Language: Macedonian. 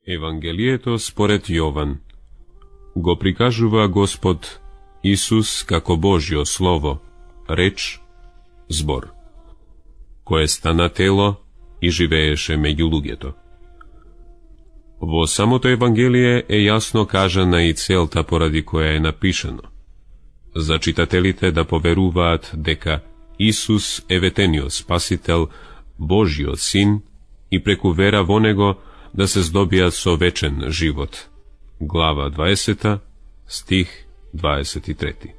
Евангелието според Јован го прикажува Господ Исус како Божјо Слово, реч, збор, кое стана тело и живееше меѓу луѓето. Во самото Евангелие е јасно кажана и целта поради која е напишано, за читателите да поверуваат дека Исус е ветениот Спасител, Божјиот Син, и преку вера во Него да се здобијат со вечен живот. Глава 20, стих 23.